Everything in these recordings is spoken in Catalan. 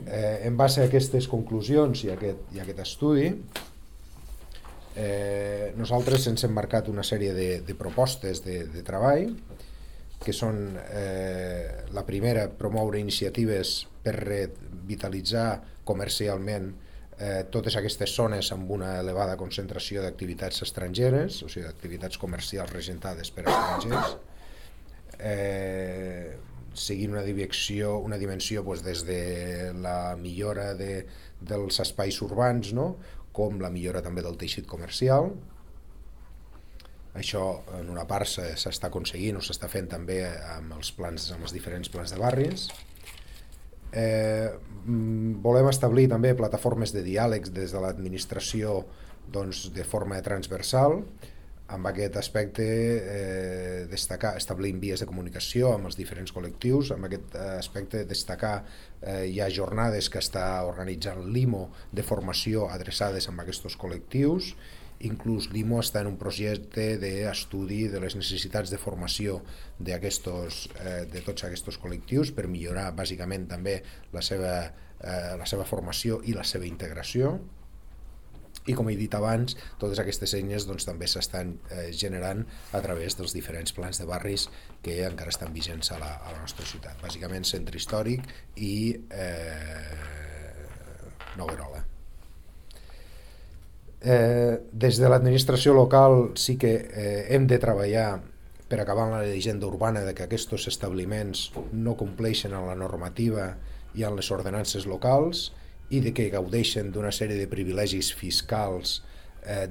En base a aquestes conclusions i aquest estudi, nosaltres ens hem marcat una sèrie de propostes de treball, que són la primera, promoure iniciatives per revitalitzar comercialment totes aquestes zones amb una elevada concentració d'activitats estrangeres, o sigui, d'activitats comercials regentades per estrangers, seguint una dimensió doncs, des de la millora dels espais urbans, no? Com la millora també del teixit comercial. Això en una part s'està aconseguint o s'està fent també amb els diferents plans de barris. Volem establir també plataformes de diàlegs des de l'administració, doncs, de forma transversal. Amb aquest aspecte establint vies de comunicació amb els diferents col·lectius. Amb aquest aspecte destacar hi ha jornades que està organitzant l'IMO de formació adreçades a aquests col·lectius. Inclús l'IMO està en un projecte d'estudi de les necessitats de formació de tots aquests col·lectius per millorar bàsicament també la seva formació i la seva integració. I com he dit abans, totes aquestes eines doncs, també s'estan generant a través dels diferents plans de barris que encara estan vigents a la nostra ciutat. Bàsicament centre històric i Noguerola. Des de l'administració local sí que hem de treballar per acabar amb la llegenda urbana de que aquests establiments no compleixen amb la normativa i amb les ordenances locals i de que gaudeixen d'una sèrie de privilegis fiscals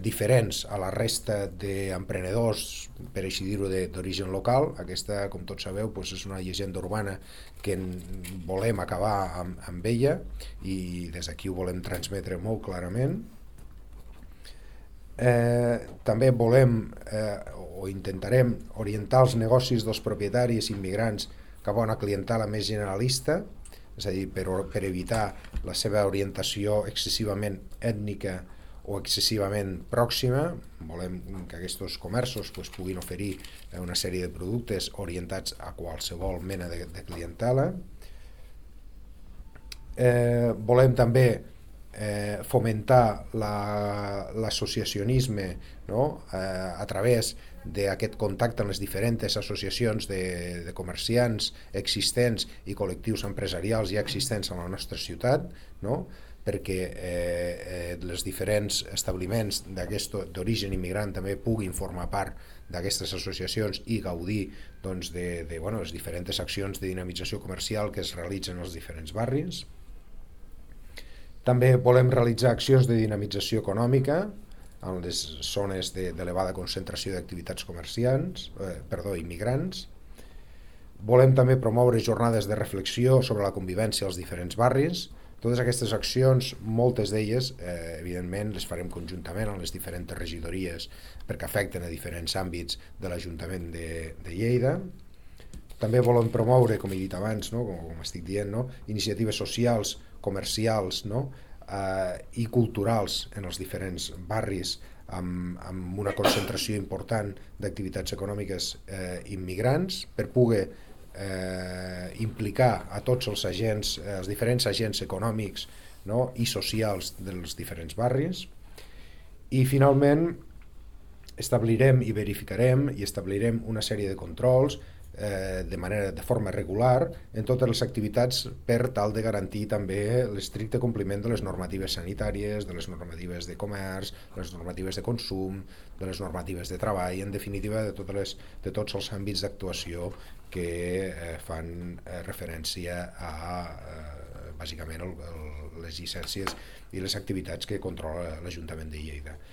diferents a la resta d'emprenedors, per així dir-ho, d'origen local. Aquesta, com tots sabeu, és una llegenda urbana que volem acabar amb ella i des d'aquí ho volem transmetre molt clarament. També volem o intentarem orientar els negocis dels propietaris immigrants cap a una clientela més generalista, és a dir, per evitar la seva orientació excessivament ètnica o excessivament pròxima. Volem que aquests comerços puguin oferir una sèrie de productes orientats a qualsevol mena de clientela. Volem també fomentar l'associacionisme, no? A través d'aquest contacte amb les diferents associacions de comerciants existents i col·lectius empresarials ja existents a la nostra ciutat, no? Perquè els diferents establiments d'origen immigrant també puguin formar part d'aquestes associacions i gaudir doncs, de les diferents accions de dinamització comercial que es realitzen als diferents barris. També volem realitzar accions de dinamització econòmica en les zones d'elevada concentració d'activitats immigrants. Volem també promoure jornades de reflexió sobre la convivència als diferents barris. Totes aquestes accions, moltes d'elles, evidentment, les farem conjuntament amb les diferents regidories perquè afecten a diferents àmbits de l'Ajuntament de Lleida. També volem promoure, com he dit abans, com estic dient, iniciatives socials, comercials i culturals en els diferents barris amb una concentració important d'activitats econòmiques immigrants per poder implicar a tots els agents, els diferents agents econòmics i socials dels diferents barris. I finalment establirem i verificarem i establirem una sèrie de controls de forma regular en totes les activitats per tal de garantir també l'estricte compliment de les normatives sanitàries, de les normatives de comerç, de les normatives de consum, de les normatives de treball, en definitiva de tots els àmbits d'actuació que fan referència a bàsicament les llicències i les activitats que controla l'Ajuntament de Lleida.